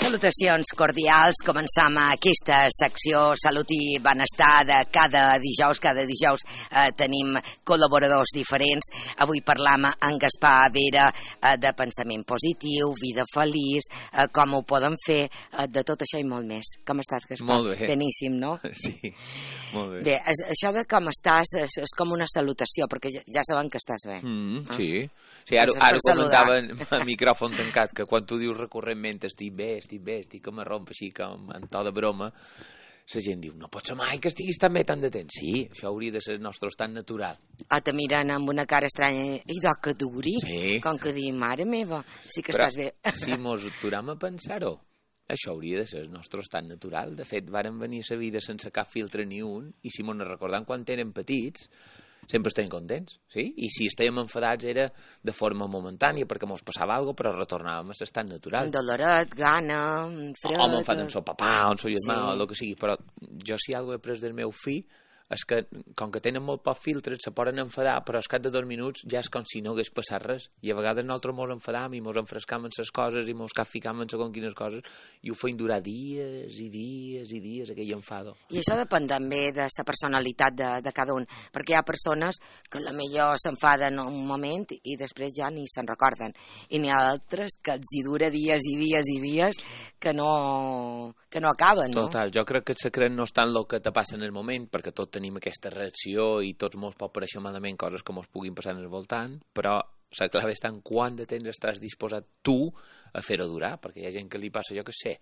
Salutacions cordials. Començam aquesta secció Salut i Benestar de cada dijous. Cada dijous tenim col·laboradors diferents. Avui parlam amb Gaspar Vera de pensament positiu, vida feliç, com ho poden fer, de tot això i molt més. Com estàs, Gaspar? Molt bé. Beníssim, no? Sí, molt bé. Bé, això de com estàs és com una salutació, perquè ja saben que estàs bé. Sí, ara comentava a micròfon tancat que quan tu dius recurrentment estic bé, estic que me romp així com en to de broma, la gent diu, no pot ser mai que estiguis tan bé tant de temps. Sí, això hauria de ser el nostre estat natural. Te miren amb una cara estranya i de que duri, sí. Com que dir, mare meva, sí que però, estàs bé. Si mos aturam a pensar-ho, això hauria de ser el nostre estat natural. De fet, varen venir a la vida sense cap filtre ni un, i si mos recordem quan eren petits, sempre estem contents, sí? I si estàvem enfadats era de forma momentània perquè mos passava alguna cosa, però retornàvem a l'estat natural. Doloret, gana, fred... O m'enfaden amb el papà, o amb el germà, o el que sigui, però jo si alguna cosa he pres del meu fill és que, com que tenen molt pocs filtres, se poden enfadar, però al cap de 2 minuts ja és com si no hagués passat res. I a vegades nosaltres mos enfadam i mos enfrescam en les coses i mos capficam en segons quines coses i ho feim durar dies i dies i dies, aquell enfado. I això depèn també de la personalitat de cada un, perquè hi ha persones que a millor s'enfaden un moment i després ja ni se'n recorden. I n'hi ha altres que els hi dura dies i dies i dies que no acaben, no? Total, jo crec que el secret no està en el que te passa en el moment, perquè tots tenim aquesta reacció i tots mos pot pareixer malament coses que mos puguin passar en el voltant, però la clau està en quant de temps estàs disposat tu a fer-ho durar, perquè hi ha gent que li passa, jo què sé,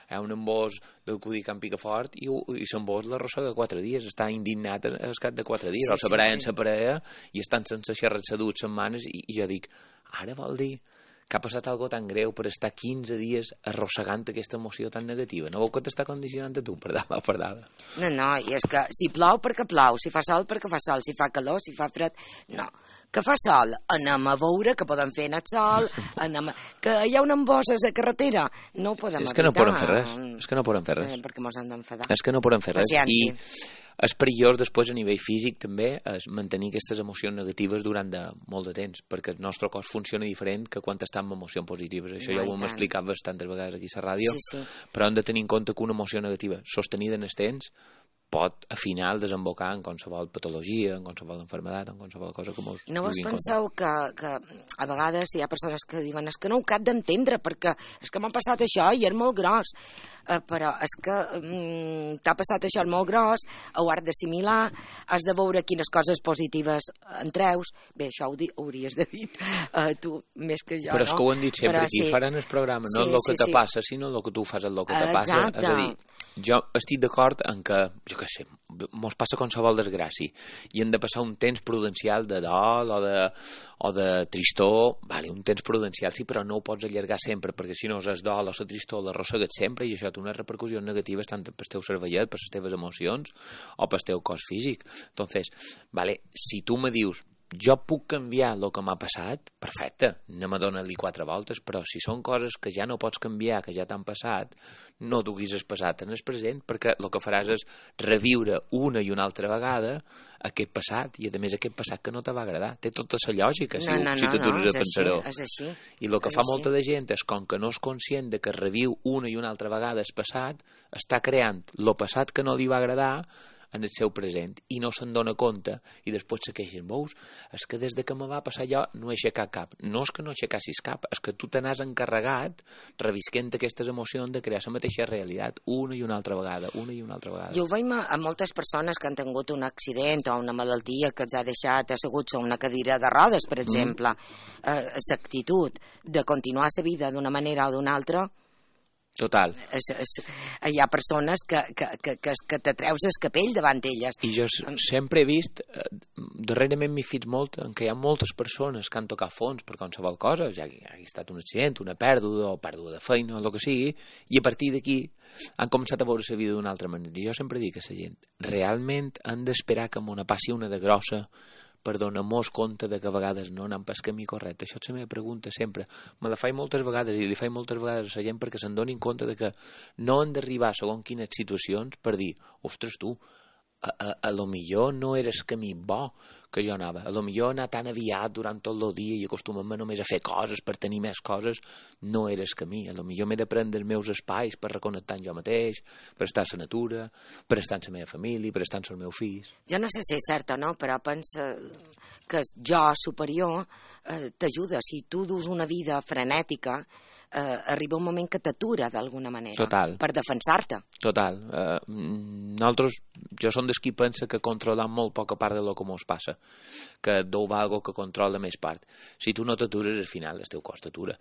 hi ha un embòs del cudi Can Picafort i l'embòs l'arrossega 4 dies, està indignat al cap de 4 dies, o separar en sa parella i estan sense xerrar se 2 setmanes i jo dic, ara vol dir que ha passat algo tan greu per estar 15 dies arrossegant aquesta emoció tan negativa. No veu que t'està condicionant a tu per dada? No, i és que si plou perquè plou, si fa sol perquè fa sol, si fa calor, si fa fred... No, que fa sol, anem a veure què podem fer en el sol, que hi ha una embossa a la carretera, no ho podem evitar. És que no podem fer res. Perquè mos han d'enfadar. És que no podem fer res. Paciència. I és perillós després a nivell físic també és mantenir aquestes emocions negatives durant molt de temps, perquè el nostre cos funciona diferent que quan està amb emocions positives. Això ja ho hem explicat bastantes vegades aquí a la ràdio, però hem de tenir en compte que una emoció negativa sostenida en el temps pot al final desembocar en qualsevol patologia, en qualsevol enfermedat, en qualsevol cosa que mos... I no vos penseu que a vegades hi ha persones que diuen és que no ho cap d'entendre perquè és que m'ha passat això i és molt gros, però és que t'ha passat això és molt gros, ho has d'assimilar, has de veure quines coses positives en treus. Bé, això ho hauries de dir tu més que jo, però és que ho han dit sempre, aquí faran el programa, no el que te passa, sinó el que tu fas el que te passa. És a dir, jo estic d'acord en que, jo què sé, mos passa qualsevol desgràcia i hem de passar un temps prudencial de dol o de tristor, vale, un temps prudencial sí, però no ho pots allargar sempre, perquè si no és dol o la tristor l'arrossegues sempre i això té unes repercussions negatives tant pel teu cervellet, per les teves emocions o pel teu cos físic. Entonces, vale, si tu me dius jo puc canviar el que m'ha passat, perfecte, anem a donar-li 4 voltes, però si són coses que ja no pots canviar, que ja t'han passat, no duguis el passat en el present, perquè el que faràs és reviure una i una altra vegada aquest passat, i a més aquest passat que no te va agradar. Té tota la lògica, si t'atures a pensar-ho. I el que fa molta de gent és, com que no és conscient de que reviu una i una altra vegada el passat, està creant el passat que no li va agradar en el seu present i no se'n dona compte i després se queixen, veus, és que des de que me va passar jo no he aixecat cap. No és que no aixecassis cap, és que tu te n'has encarregat revisquent aquestes emocions de crear la mateixa realitat una i una altra vegada. Jo ho veiem a moltes persones que han tingut un accident o una malaltia que els ha deixat asseguts a una cadira de rodes, per exemple. L'actitud de continuar la vida d'una manera o d'una altra. Total. Hi ha persones que t'atreus el capell davant elles. I jo sempre he vist, darrerament m'he fet molt, en què hi ha moltes persones que han tocat fons per qualsevol cosa, ja ha estat un accident, una pèrdua o pèrdua de feina o el que sigui, i a partir d'aquí han començat a veure la vida d'una altra manera. I jo sempre dic a la gent, realment han d'esperar que m'ho passi una de grossa per donar-nos compte de que a vegades no anem pel camí correcte. Això és la meva pregunta sempre. Me la faig moltes vegades i li faig moltes vegades a la gent perquè se'n donin compte de que no han d'arribar a segons quines situacions per dir, ostres tu, a lo millor no era el camí bo que jo anava. A lo millor anar tan aviat durant tot el dia i acostumar-me només a fer coses per tenir més coses no era el camí. A lo millor m'he de prendre els meus espais per reconnectar amb jo mateix, per estar a la natura, per estar amb la meva família, per estar amb els meus fills. Jo no sé si és cert o no, però pensa que el jo superior t'ajuda. Si tu dus una vida frenètica, arriba un moment que t'atura d'alguna manera. Total. Per defensar-te. Total. Nosaltres, jo som dels qui pensa que controlam molt poca part de lo que mos passa, que deu algo que controla més part. Si tu no t'atures, al final el teu cos t'atura.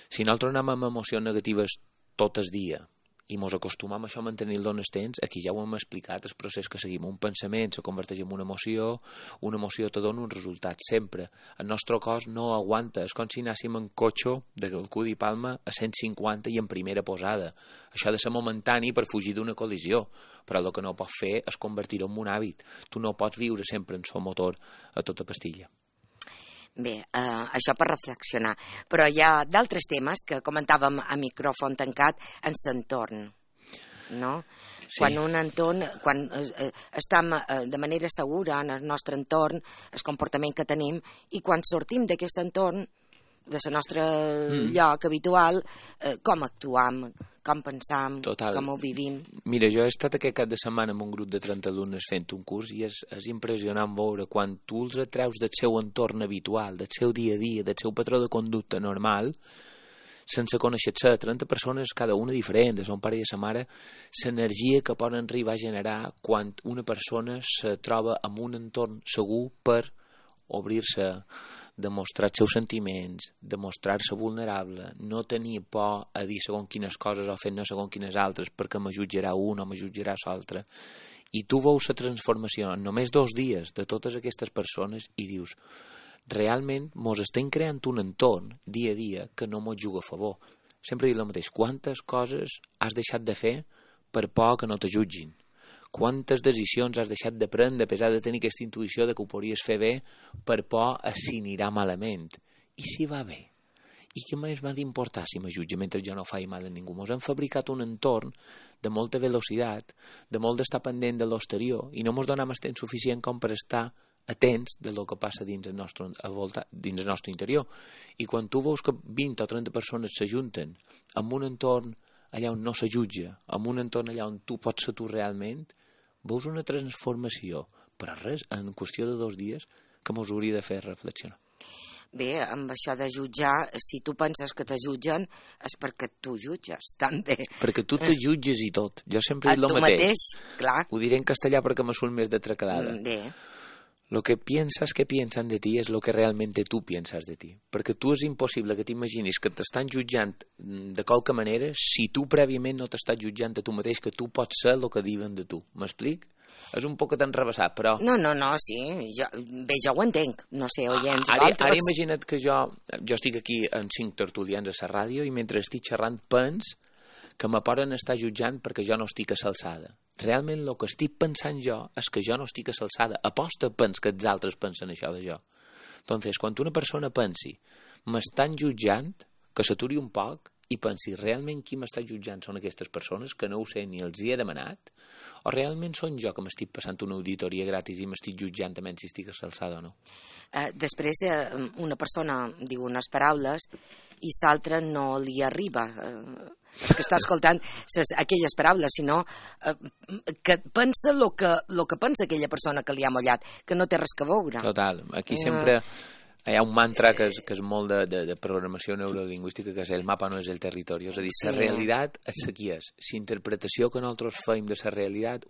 Si nosaltres anem amb emocions negatives tot el dia i mos acostumam a això a mantenir-lo en el temps, aquí ja ho hem explicat, el procés que seguim. Un pensament se converteix en una emoció te dona un resultat, sempre. El nostre cos no aguanta, és com si anéssim en cotxe de Calcudi i Palma a 150 i en primera posada. Això ha de ser momentani per fugir d'una col·lisió, però el que no pots fer és convertir-ho en un hàbit. Tu no pots viure sempre en so motor a tota pastilla. Bé, això per reflexionar. Però hi ha d'altres temes que comentàvem a micròfon tancat en l'entorn, no? Sí. Quan un entorn, quan estem de manera segura en el nostre entorn, el comportament que tenim, i quan sortim d'aquest entorn, de la nostra lloc habitual, com actuam, com pensam, com ho vivim. Mira, jo he estat aquest cap de setmana amb un grup de 30 alumnes fent un curs i és impressionant veure quan tu els atreus del seu entorn habitual, del seu dia a dia, del seu patró de conducta normal, sense conèixer-se, 30 persones, cada una diferent, de son pare i de sa mare, l'energia que poden arribar a generar quan una persona se troba en un entorn segur per obrir-se, demostrar els seus sentiments, demostrar-se vulnerable, no tenir por a dir segons quines coses o fer-ne segons quines altres perquè me jutjarà un o me jutjarà l'altre. I tu veus la transformació en només 2 dies de totes aquestes persones i dius, realment mos estem creant un entorn dia a dia que no mos juga a favor. Sempre dic el mateix, quantes coses has deixat de fer per por que no te jutgin? Quantes decisions has deixat de prendre a pesar de tenir aquesta intuïció de que ho podries fer bé per por a si anirà malament? I si va bé? I què més m'ha d'importar si me jutge mentre jo no faig mal a ningú? Mos hem fabricat un entorn de molta velocitat, de molt d'estar pendent de l'exterior i no mos donem el temps suficient com per estar atents del que passa dins el nostre interior. I quan tu veus que 20 o 30 persones s'ajunten en un entorn allà on no se jutja, en un entorn allà on tu pots ser tu realment, veus una transformació, però res, en qüestió de 2 dies, que mos hauria de fer reflexionar. Bé, amb això de jutjar, si tu penses que te jutgen, és perquè tu jutges, també. Perquè tu te jutges i tot. Jo sempre he dit el mateix. Clar. Ho diré en castellà perquè me surt més de tracalada. Bé. Lo que piensas que piensan de ti es lo que realmente tú piensas de ti. Perquè tu és impossible que t'imaginis que t'estan jutjant de qualque manera si tu prèviament no t'estàs jutjant a tu mateix, que tu pots ser el que diuen de tu. M'explic? És un poc enrevessat, però... No, sí. Jo ho entenc. No sé, oients, Ara imagina't que jo estic aquí en 5 tertulians a la ràdio i mentre estic xerrant pens que me poden estar jutjant perquè jo no estic a l'alçada. Realment el que estic pensant jo és que jo no estic a l'alçada. Aposta pens que els altres pensen això de jo. Entonces, quan una persona pensi m'estan jutjant, que s'aturi un poc i pensi realment qui m'està jutjant són aquestes persones que no ho sé ni els hi he demanat o realment són jo que m'estic passant una auditoria gratis i m'estic jutjant també si estic a l'alçada o no. Després una persona diu unes paraules i l'altra no li arriba és que està escoltant aquelles paraules, sinó que pensa el que pensa aquella persona que li ha mollat, que no té res a veure. Total, aquí sempre hi ha un mantra que és molt de programació neurolingüística, que és el mapa no és el territori, és a dir, la realitat és la que és. La interpretació que nosaltres fem de la realitat,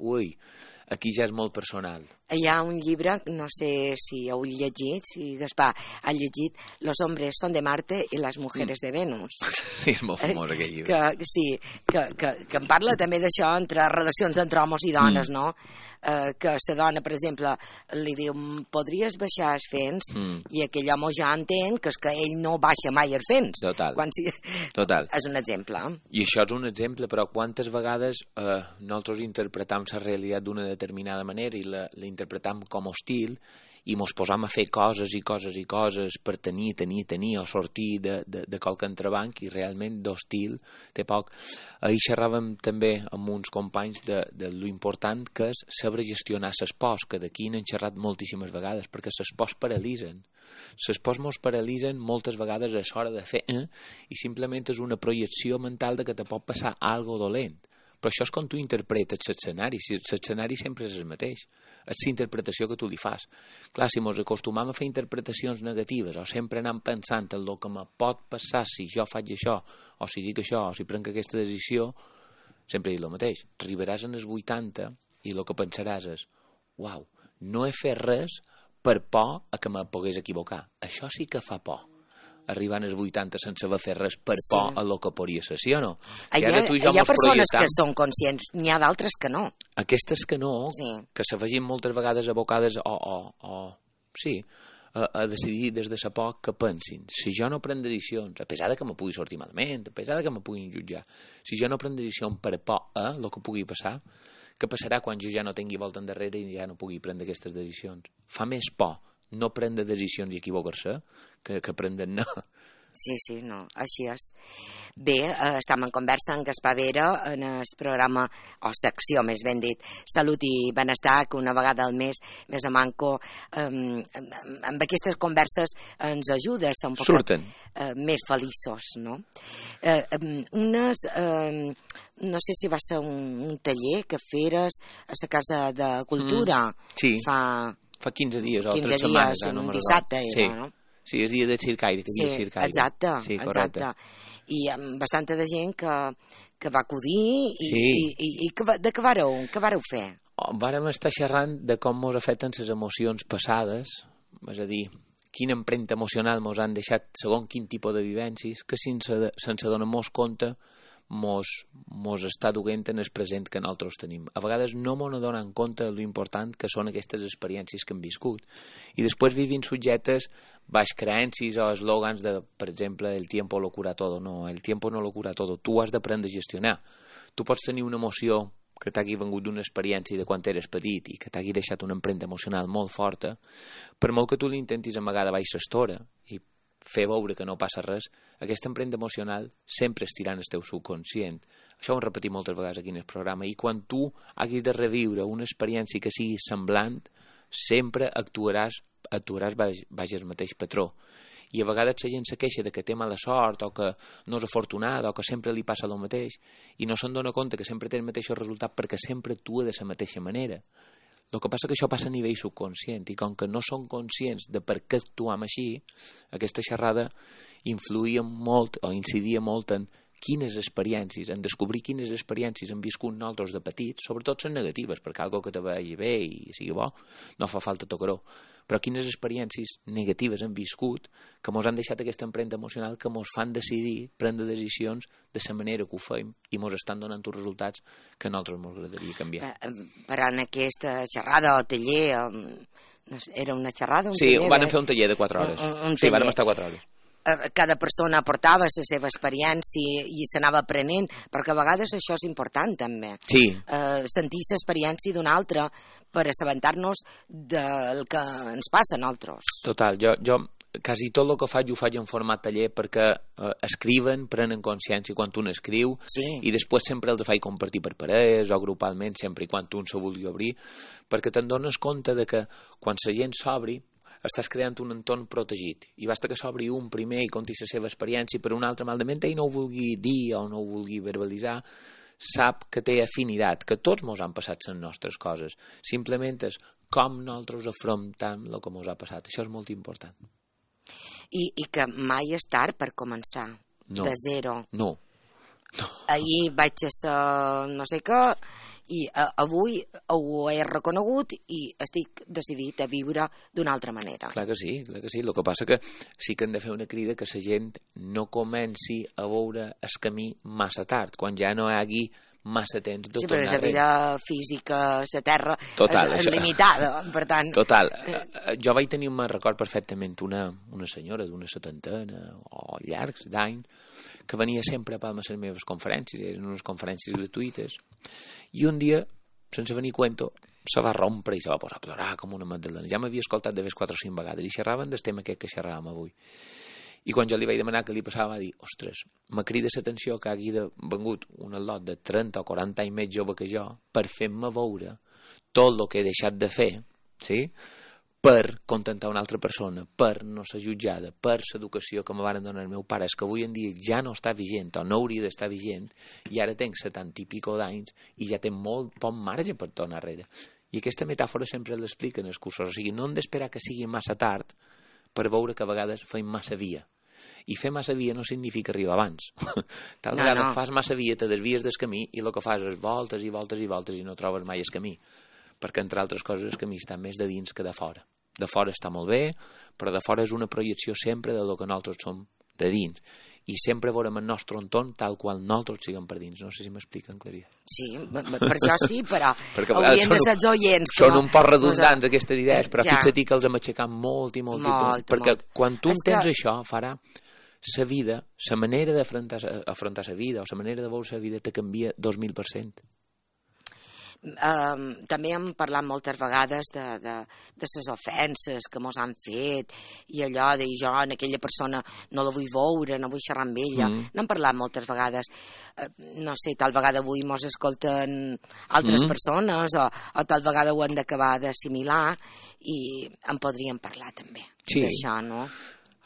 aquí ja és molt personal. Hi ha un llibre, no sé si heu llegit, si Gaspar ha llegit, Los hombres son de Marte y las mujeres de Venus. Sí, és molt famós aquell llibre. Que en parla també d'això, entre relacions entre homes i dones, no? Que la dona, per exemple, li diu podries baixar els fens i aquell home ja entén que és que ell no baixa mai els fens. Total. És un exemple. I això és un exemple, però quantes vegades nosaltres interpretam la realitat d'una determinada manera i la interpretam com hostil i mos posam a fer coses i coses i coses per tenir o sortir de qualque entrebanc, i realment d'hostil té poc. Ahir xerràvem també amb uns companys de lo important que és saber gestionar les pors, que d'aquí n'hem xerrat moltíssimes vegades, perquè les pors paralitzen. Les pors mos paralitzen moltes vegades a l'hora de fer i simplement és una projecció mental de que te pot passar algo dolent. Però això és com tu interpretes l'escenari. L'escenari sempre és el mateix. És l'interpretació que tu li fas. Clar, si ens acostumam a fer interpretacions negatives o sempre anem pensant en el que me pot passar si jo faig això, o si dic això, o si prenc aquesta decisió, sempre he dit el mateix. Arribaràs en els 80 i el que pensaràs és uau, no he fet res per por a que me pogués equivocar. Això sí que fa por. Arribant als 80 sense haver fet res per por a lo que podria ser, sí o no? Hi ha persones que són conscients, n'hi ha d'altres que no. Aquestes que no, que se vegin moltes vegades abocades a decidir des de sa por que pensin, si jo no prenc decisions, a pesar de que me pugui sortir malament, a pesar de que me puguin jutjar, si jo no prenc decisions per por a lo que pugui passar, què passarà quan jo ja no tingui volta endarrere i ja no pugui prendre aquestes decisions? Fa més por no prendre decisions i equivocar-se que prendre no. Sí, no, així és. Bé, estem en conversa amb Gaspar Vera en el programa, o secció més ben dit, Salut i Benestar, que una vegada al mes més a manco amb aquestes converses ens ajuda a ser un poc més feliços, no? No sé si va ser un taller que feres a la Casa de Cultura fa 15 dies o 3 setmanes. Un dissabte era, no? Sí, és dia de circaire, que havia circaire. Exacte. I amb bastanta de gent que va acudir i de què vareu fer? Vàrem estar xerrant de com mos afecten les emocions passades, és a dir, quina empremta emocional mos han deixat segons quin tipus de vivències, que sense donar-nos compte mos està duent en el present que nosaltres tenim. A vegades no mos donen compte de l'important que són aquestes experiències que hem viscut. I després vivim subjectes baix creences o eslògans de, per exemple, el tiempo lo cura todo. No, el tiempo no lo cura todo. Tu has d'aprendre a gestionar. Tu pots tenir una emoció que t'hagi vengut d'una experiència de quan eres petit i que t'hagi deixat una empremta emocional molt forta, per molt que tu l'intentis amagar de baix l'estora i fer veure que no passa res, aquesta empremta emocional sempre estirà en el teu subconscient. Això ho hem repetit moltes vegades aquí en el programa, i quan tu hagis de reviure una experiència que sigui semblant, sempre actuaràs baix el mateix patró. I a vegades la gent se queixa de que té mala sort o que no és afortunada o que sempre li passa el mateix i no se'n dona compte que sempre té el mateix resultat perquè sempre actua de la mateixa manera. El que passa que això passa a nivell subconscient i com que no som conscients de per què actuam així, aquesta xerrada influïa molt o incidia molt en quines experiències, en descobrir quines experiències hem viscut nosaltres de petits, sobretot són negatives, perquè algo que te vagi bé i sigui bo, no fa falta tocar-ho, però quines experiències negatives hem viscut que ens han deixat aquesta empremta emocional que ens fan decidir, prendre decisions de la manera que ho fem i ens estan donant uns resultats que a nosaltres ens agradaria canviar. Però en aquesta xerrada o taller, era una xerrada? Sí, van fer un taller de 4 hores. Sí, vam estar 4 hores. Cada persona aportava la seva experiència i s'anava aprenent, perquè a vegades això és important també. Sí. Sentir l'experiència d'un altre per assabentar-nos del que ens passa a nosaltres. Total, jo quasi tot el que faig ho faig en format taller perquè escriuen, prenen consciència quan un escriu i després sempre els faig compartir per parelles o grupalment, sempre i quan un se vulgui obrir, perquè te'n dones compte de que quan la gent s'obri estàs creant un entorn protegit i basta que s'obri un primer i conti la seva experiència, per un altre malament ell no ho vulgui dir o no ho vulgui verbalitzar, sap que té afinitat, que tots mos han passat les nostres coses, simplement és com nosaltres afrontem el que mos ha passat. Això és molt important. I que mai és tard per començar, de zero. No. Ahir vaig a ser no sé què i avui ho he reconegut i estic decidit a viure d'una altra manera. Clar que sí. El que passa que sí que hem de fer una crida que la gent no comenci a veure el camí massa tard, quan ja no hi hagi massa temps de tornar. Sí, però la vida física, la terra, és limitada, per tant... Total. Jo vaig tenir, me'n record perfectament, una senyora d'una 70 o llargs d'anys que venia sempre a Palma a les meves conferències, eren unes conferències gratuïtes, i un dia, sense venir cuento, se va rompre i se va posar a plorar com una magdalena. Ja m'havia escoltat de vegades 4 o 5 vegades i xerraven del tema aquest que xerràvem avui. I quan jo li vaig demanar què li passava, va dir, ostres, me crida l'atenció que hagi vengut un al·lot de 30 o 40 anys més jove que jo per fer-me veure tot el que he deixat de fer, sí?, per contentar una altra persona, per no ser jutjada, per l'educació que me van donar el meu pare, és que avui en dia ja no està vigent o no hauria d'estar vigent i ara tenc 70 i pico d'anys i ja tenc molt poc marge per tornar enrere. I aquesta metàfora sempre l'explica en els cursos, o sigui, no hem d'esperar que sigui massa tard per veure que a vegades fem massa via. I fer massa via no significa arribar abans. Tal vegada fas massa via, te desvies del camí i el que fas és voltes i voltes i voltes i no trobes mai el camí. Perquè, entre altres coses, el camí està més de dins que de fora. De fora està molt bé, però de fora és una projecció sempre de lo que nosaltres som de dins. I sempre veurem el nostre entorn tal qual nosaltres siguem per dins. No sé si m'expliquen, Claria. Sí, per això sí, però haurien de ser els oients. Són un poc redundants aquestes idees, però fixa't que els hem aixecat molt i molt. Perquè quan tu entens això, farà la vida, la manera d'afrontar la vida o la manera de veure la vida te canvia 2000%. També hem parlat moltes vegades de les ofenses que mos han fet i allò de jo en aquella persona no la vull veure, no vull xerrar amb ella. N'hem parlat moltes vegades. No sé, tal vegada avui mos escolten altres persones o tal vegada ho han d'acabar d'assimilar i en podríem parlar també d'això, no?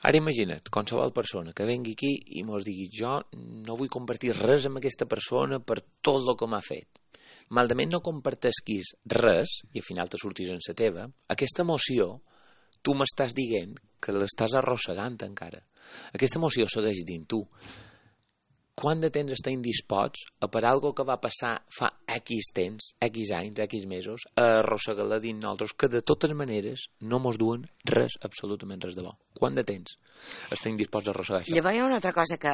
Ara imagina't, qualsevol persona que vengui aquí i mos digui jo no vull compartir res amb aquesta persona per tot el que m'ha fet. Malament no compartesquis res i al final te sortis en la teva, aquesta emoció tu m'estàs dient que l'estàs arrossegant encara. Aquesta emoció segueix dins tu. Quant de temps estem indisposts a per algo que va passar fa X temps, X anys, X mesos, a arrossegar-la dins nosaltres, que de totes maneres no mos duen res, absolutament res de bo. Quant de temps estem disposats a arrossegar això? Llavors hi ha una altra cosa que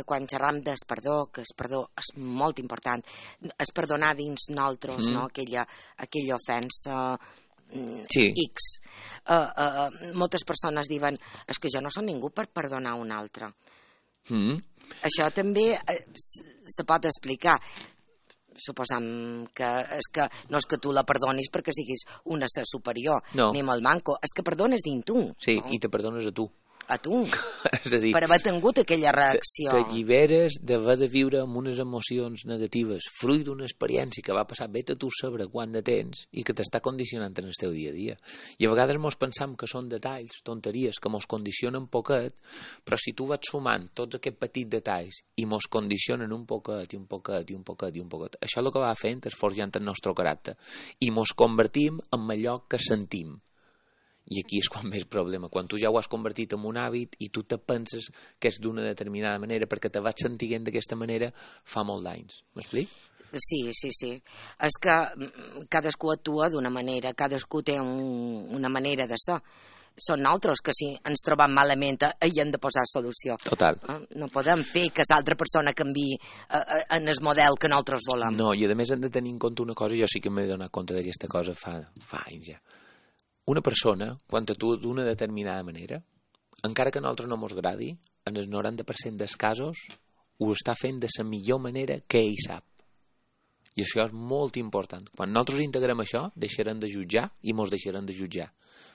quan xerram del perdó, que el perdó és molt important, és perdonar dins nosaltres, no? Aquella ofensa X. Moltes persones diuen és que jo no soc ningú per perdonar un altre. Això també se pot explicar. Suposam que no és que tu la perdonis perquè siguis una ser superior, ni amb el manco, és que perdones dins tu. Sí, i te perdones a tu. A tu, és a dir, per haver tingut aquella reacció. T'alliberes d'haver de viure amb unes emocions negatives, fruit d'una experiència que va passar, vete tu saber quant de temps i que t'està condicionant en el teu dia a dia. I a vegades mos pensam que són detalls, tonteries, que mos condicionen poquet, però si tu vas sumant tots aquests petits detalls i mos condicionen un poquet, i un poquet, i un poquet, i un poquet, això el que va fent és forjant el nostre caràcter i mos convertim en allò que sentim. I aquí és quan més problema, quan tu ja ho has convertit en un hàbit i tu te penses que és d'una determinada manera perquè te vas sentint d'aquesta manera fa molt d'anys. M'explic? Sí. És que cadascú actua d'una manera, cadascú té una manera de ser. Són nosaltres que si ens trobam malament hi hem de posar solució. Total. No podem fer que l'altra persona canviï en el model que nosaltres volem. No, i a més hem de tenir en compte una cosa, jo sí que m'he donat compte d'aquesta cosa fa anys ja. Una persona, quan actua d'una determinada manera, encara que a nosaltres no ens agradi, en el 90% dels casos ho està fent de la millor manera que ell sap. I això és molt important. Quan nosaltres integrem això, deixarem de jutjar i ens deixarem de jutjar.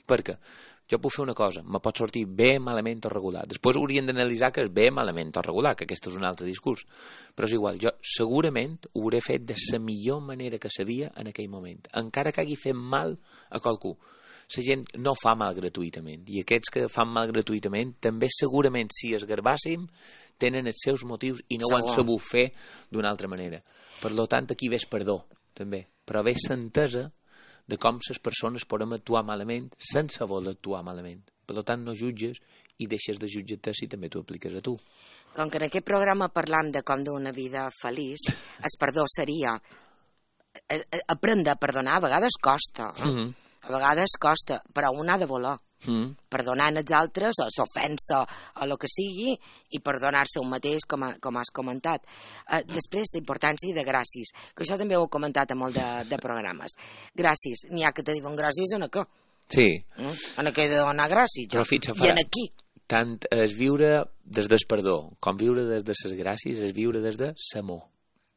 Perquè jo puc fer una cosa, me pot sortir bé, malament o regular. Després hauríem d'analitzar que és bé, malament o regular, que aquest és un altre discurs. Però és igual, jo segurament ho hauré fet de la millor manera que sabia en aquell moment. Encara que hagi fet mal a qualcú. La gent no fa mal gratuïtament i aquests que fan mal gratuïtament també segurament si es garbàssim tenen els seus motius i no ho han sabut fer d'una altra manera. Per tant, aquí ves perdó també, però ves l'entesa de com les persones podem actuar malament sense voler actuar malament. Per tant, no jutges i deixes de jutjar-te si també t'ho apliques a tu. Com que en aquest programa parlam de com d'una vida feliç, el perdó seria aprendre a perdonar, a vegades costa, a vegades costa, però un ha de voler. Perdonant els altres, o s'ofensa, o el que sigui, i perdonar-se un mateix, com has comentat. Després, la importància de gràcies, que això també ho he comentat a molt de programes. Gràcies, n'hi ha que te diuen gràcies en què? Sí. En què he de donar gràcies, jo. I en aquí. Tant és viure des del perdó, com viure des de les gràcies, és viure des de l'amor.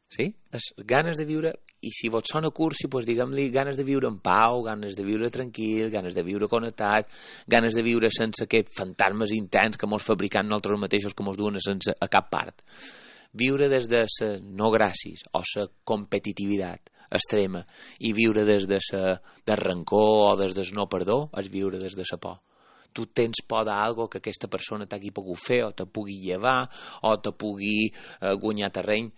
Sí? Les ganes de viure I si vos sona cursi, doncs diguem-li ganes de viure en pau, ganes de viure tranquil, ganes de viure connectat, ganes de viure sense aquests fantasmes intens que mos fabricant nosaltres mateixos que mos duen a cap part. Viure des de la no gràcies o la competitivitat extrema i viure des de del rancor o des del no perdó és viure des de la por. Tu tens por d'algo que aquesta persona t'hagi pogut fer o te pugui llevar o te pugui guanyar terreny.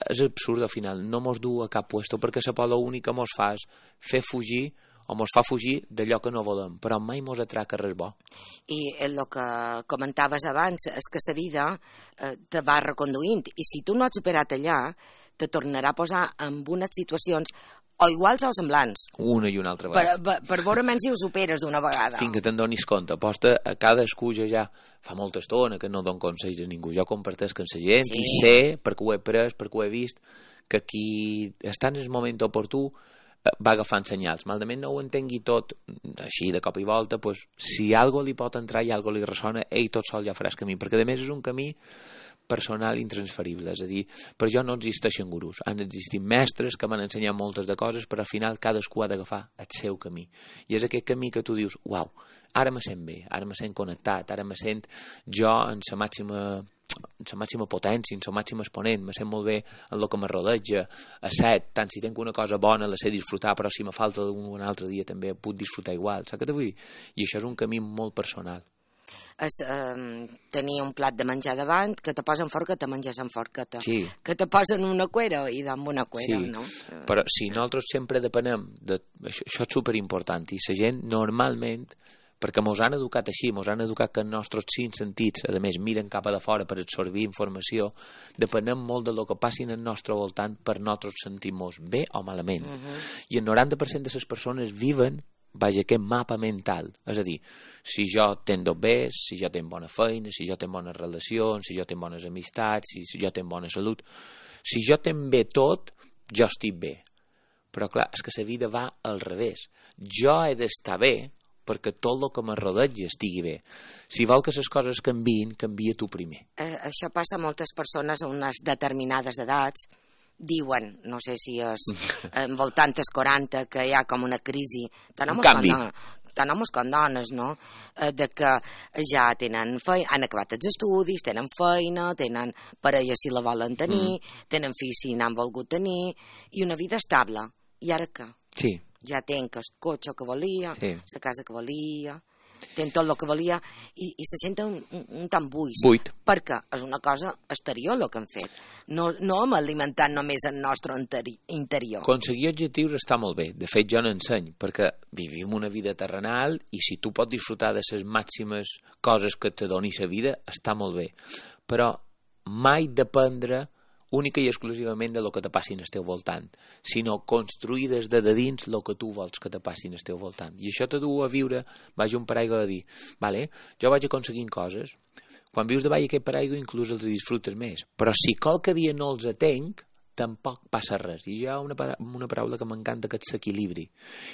És absurd al final, no mos du a cap puesto perquè la por l'únic que mos fa és fer fugir o mos fa fugir d'allò que no volem, però mai mos atraca res bo. I el que comentaves abans és que la vida te va reconduint i si tu no has superat allà, te tornarà a posar en unes situacions o iguals o semblants. Una i una altra vegada. Per veure menys si ho superes d'una vegada. Fins que te'n donis compte. Aposta a cadascú ja fa molta estona que no dono consells a ningú. Jo compartesc amb la gent i sé, perquè ho he pres, perquè ho he vist, que qui està en el moment oportú va agafant senyals. Malament no ho entengui tot així de cop i volta, doncs, si algo li pot entrar i algo li ressona, ell tot sol ja faràs camí, perquè a més és un camí personal intransferible, és a dir, per jo no existeixen gurus, han existit mestres que m'han ensenyat moltes de coses, però al final cadascú ha d'agafar el seu camí, i és aquest camí que tu dius, uau, ara me sent bé, ara me sent connectat, ara me sent jo en la màxima potència, en la màxima exponent, me sent molt bé en el que me rodeja, a set, tant si tinc una cosa bona la sé disfrutar, però si me falta un altre dia també puc disfrutar igual, saps què te vull dir? I això és un camí molt personal. És tenir un plat de menjar davant, que te posen forca, te menges amb forqueta. Sí. Que te posen una cuera i amb una cuera, sí. No? Però si nosaltres sempre depenem això és superimportant, i la gent normalment, perquè mos han educat així, mos han educat que els nostres 5 sentits, a més, miren cap a de fora per absorbir informació, depenem molt del que passi en el nostre voltant per nosaltres sentir-nos bé o malament. I el 90% de les persones viven aquest mapa mental, és a dir, si jo tenc bé, si jo tenc bona feina, si jo tenc bones relacions, si jo tenc bones amistats, si jo tenc bona salut, si jo tenc bé tot, jo estic bé. Però clar, és que la vida va al revés. Jo he d'estar bé perquè tot el que me rodeja estigui bé. Si vol que les coses canviïn, canvia tu primer. Això passa a moltes persones a unes determinades edats, diuen, no sé si és envoltant els 40, que hi ha com una crisi, tant homes com dones, no? De que ja tenen feina, han acabat els estudis, tenen feina, tenen parella si la volen tenir, tenen fills si n'han volgut tenir, i una vida estable. I ara què? Sí. Ja tenen el cotxe que volia, la casa que volia, tenen tot el que volia, i se senten un tant buit. Perquè és una cosa exterior el que han fet. No hem alimentat només el nostre interior. Aconseguir objectius està molt bé. De fet, jo n'enseny, perquè vivim una vida terrenal i si tu pots disfrutar de les màximes coses que te doni la vida, està molt bé. Però mai dependre única i exclusivament de lo que te passi en el teu voltant, sinó construir des de dins el que tu vols que te passi en el teu voltant. I això te du a viure, vaig un paraigua de dir, vale, jo vaig aconseguint coses, quan vius davall aquest paraigua inclús els disfrutes més, però si qualque dia no els atenc, tampoc passa res. I hi ha una paraula que m'encanta, que és l'equilibri.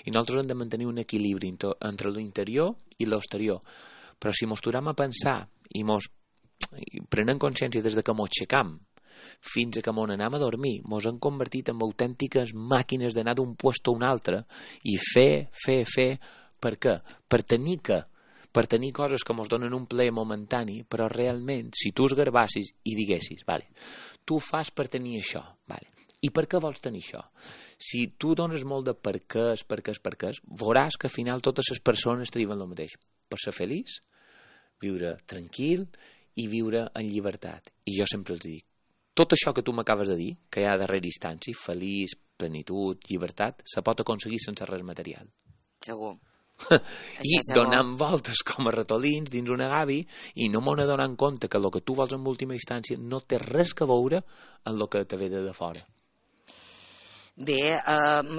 I nosaltres hem de mantenir un equilibri entre l'interior i l'exterior. Però si mos tornem a pensar i prenem consciència des de que mos aixecam fins a que mos anem a dormir, mos hem convertit en autèntiques màquines d'anar d'un puesto a un altre i fer. Per què? Per tenir coses que mos donen un plaer momentani, però realment, si tu esgarbassis i diguessis, vale, tu fas per tenir això, vale, i per què vols tenir això? Si tu dones molt de per què, veuràs que al final totes les persones te diuen el mateix. Per ser feliç, viure tranquil i viure en llibertat. I jo sempre els dic, tot això que tu m'acabes de dir, que hi ha darrere instància, feliç, plenitud, llibertat, se pot aconseguir sense res material. Segur. I donant voltes com a ratolins dins una gavi i no m'ho donant compte que el que tu vols en última instància no té res que veure amb el que te ve de fora. Bé,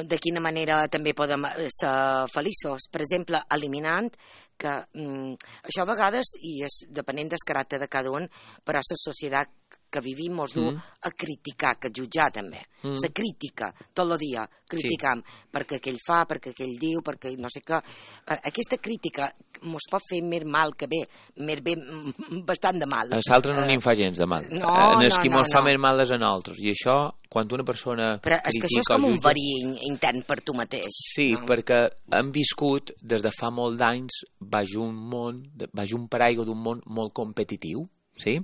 de quina manera també podem ser feliços? Per exemple, eliminant això a vegades, i és depenent del caràcter de cada un, però la societat que vivim ens du a criticar, que jutjar també. La crítica, tot el dia, criticam perquè aquell fa, perquè aquell diu, perquè no sé què. Aquesta crítica ens pot fer més mal que bé, més bé, bastant de mal. A l'altre no n'hi fa gens de mal. Qui mos fa més mal és a nosaltres. I això, quan una persona però és que això és com un verí intern per tu mateix. Sí, perquè hem viscut des de fa molt d'anys baix un paraigua d'un món molt competitiu, sí?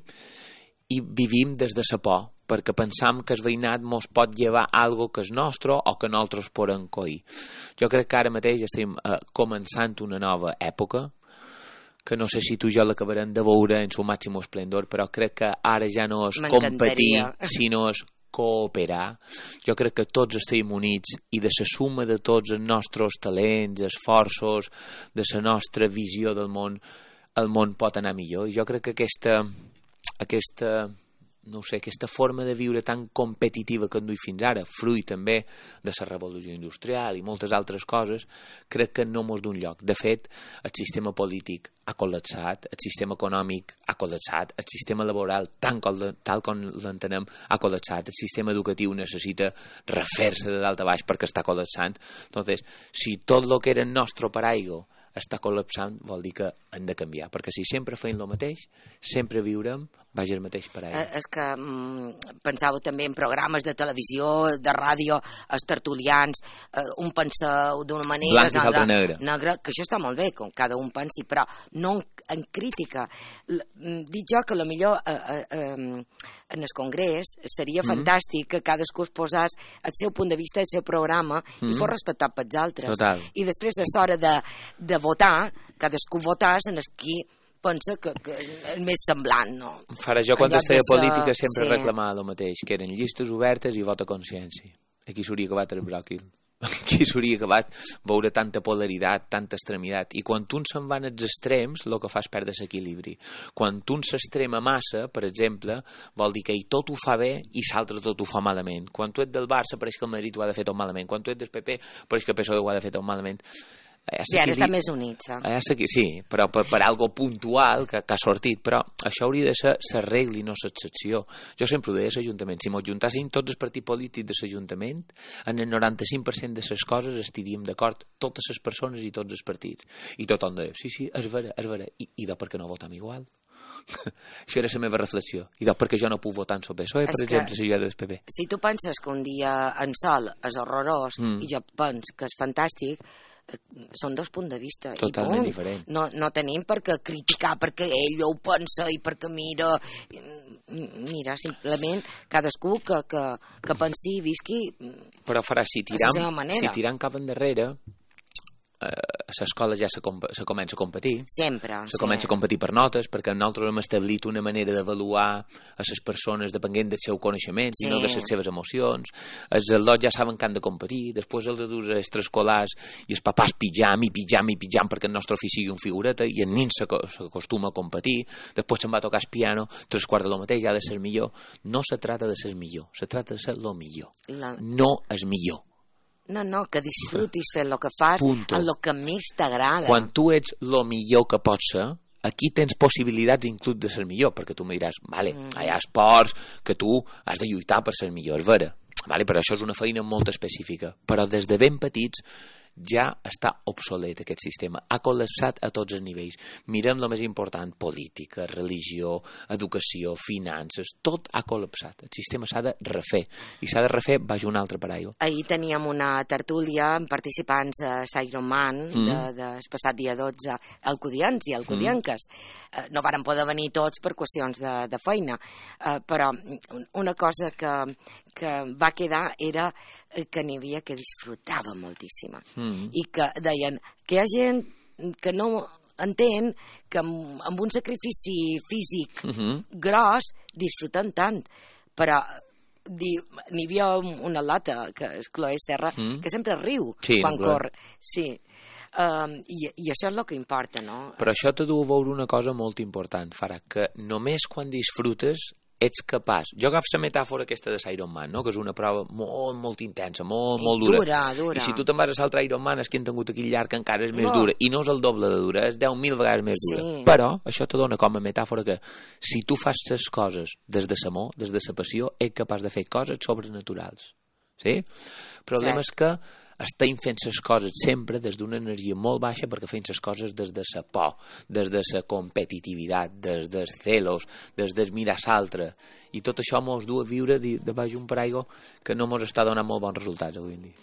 I vivim des de la por, perquè pensam que el veïnat mos pot llevar algo que és nostre o que nosaltres podem coir. Jo crec que ara mateix estem començant una nova època, que no sé si tu i jo l'acabarem de veure en su màxim esplendor, però crec que ara ja no és competir, sinó és cooperar. Jo crec que tots estem units i de la suma de tots els nostres talents, esforços, de la nostra visió del món, el món pot anar millor. I jo crec que aquesta forma de viure tan competitiva que hem dut fins ara, fruit també de la revolució industrial i moltes altres coses, crec que no mos d'un lloc. De fet, el sistema polític ha col·lapsat, el sistema econòmic ha col·lapsat, el sistema laboral, tal com l'entenem, ha col·lapsat, el sistema educatiu necessita refer-se de dalt a baix perquè està col·lapsant. Entonces, si tot el que era el nostre paraigua està col·lapsant, vol dir que hem de canviar, perquè si sempre feim el mateix, sempre viurem baix el mateix paraigua. És que pensava també en programes de televisió, de ràdio, els tertulians, un pensa d'una manera... Blanc i l'altre negre. Que això està molt bé, com cada un pensi, però no en crítica. Dic jo que potser en el Congrés seria fantàstic que cadascú es posés el seu punt de vista, el seu programa, i fos respectat pels altres. Total. I després és hora de votar, cadascú votàs en el qui pensa que és més semblant, no? Farà jo, quan estava política, sempre reclamava el mateix, que eren llistes obertes i vot a consciència. Aquí s'hauria acabat el bròquil. Aquí s'hauria acabat veure tanta polaritat, tanta extremitat. I quan uns se'n van als extrems, el que fa és perdre l'equilibri. Quan un s'extrema massa, per exemple, vol dir que ell tot ho fa bé i l'altre tot ho fa malament. Quan tu ets del Barça, pareix que el Madrid ho ha de fer tot malament. Quan tu ets del PP, pareix que el PSOE ho ha de fer tot malament. Sí, ara està més units. Sí, però per algo puntual que ha sortit, però això hauria de ser la regla i no l'excepció. Jo sempre ho deia a l'Ajuntament, si m'ho juntàssim tots els partits polítics de l'Ajuntament, en el 95% de les coses estaríem d'acord, totes les persones i tots els partits. I tothom deia, sí, és vera, i per què no votam igual? Això era la meva reflexió. I per què jo no puc votar en el PSOE, per exemple, si jo era del PP? Si tu penses que un dia en sol és horrorós i jo penso que és fantàstic, són dos punts de vista totalment diferents. No tenim per què criticar perquè ell ho pensa i perquè mira, simplement cadascú que pensi i visqui. Però farà, si tirant cap endarrere, a l'escola ja se comença a competir. Sempre. Se comença a competir per notes, perquè nosaltres hem establit una manera d'avaluar a les persones depenent del seu coneixement i no de les seves emocions. Els alumnes ja saben que han de competir, després els adults extraescolars i els papàs pitjam perquè el nostre fill sigui un figureta i el nin s'acostuma a competir, després se'n va tocar el piano, 3/4 de lo mateix, ha de ser millor. No se trata de ser millor, se trata de ser lo millor. No és millor. No, que disfrutis fent el que fas en el que més t'agrada. Quan tu ets el millor que pots ser, aquí tens possibilitats inclús de ser millor, perquè tu me diràs, vale, hi ha esports que tu has de lluitar per ser millor, és vera, vale, però això és una feina molt específica, però des de ben petits ja està obsolet aquest sistema, ha col·lapsat a tots els nivells. Mirem el més important, política, religió, educació, finances, tot ha col·lapsat. El sistema s'ha de refer, i s'ha de refer baix un altre paraigua. Ahir teníem una tertúlia amb participants a Ironman del passat dia 12, alcudians i alcudianques. No varen poder venir tots per qüestions de feina, però una cosa que va quedar era que n'hi havia que disfrutava moltíssima i que deien que hi ha gent que no entén que amb un sacrifici físic gros disfruten tant, però n'hi havia una lata que és Chloe Serra que sempre riu quan corre. Sí. I això és el que importa, no? Però això t'ha de veure una cosa molt important, Farah, que només quan disfrutes ets capaç... Jo agafo la metàfora aquesta de l'Ironman, no? Que és una prova molt, molt intensa, molt, molt dura. Dura. I si tu te'n vas a l'altre Ironman, és que han tingut aquell llarg encara és més dura. I no és el doble de dura, és 10.000 vegades més dura. Però això te dona com a metàfora que si tu fas les coses des de l'amor, des de la passió, ets capaç de fer coses sobrenaturals. Sí? El problema és que estem fent les coses sempre des d'una energia molt baixa perquè fem les coses des de la por, des de la competitivitat, des dels celos, des del mirar l'altre. I tot això mos du a viure de baix un paraigua que no mos està donant molt bons resultats avui en dia.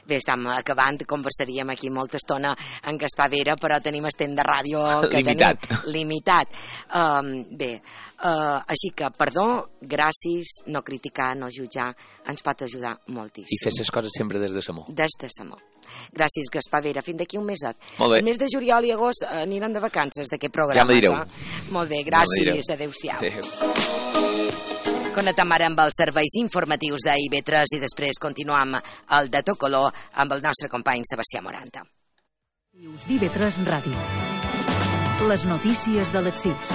Bé, estem acabant, conversaríem aquí molta estona en Gaspar Vera, però tenim el temps de ràdio que limitat. Així que, perdó, gràcies, no criticar, no jutjar, ens pot ajudar moltíssim. I fer les coses sempre des de l'amor. Des de l'amor. Gràcies, Gaspar Vera. Fins d'aquí un meset. Molt bé. El mes de juliol i agost aniran de vacances d'aquest programa. Ja me direu. Molt bé, gràcies. Adéu-siau. Connectem ara amb els serveis informatius d'IV3 i després continuem el de tot color amb el nostre company Sebastià Moranta. d'IV3 Ràdio. Les notícies de les 6.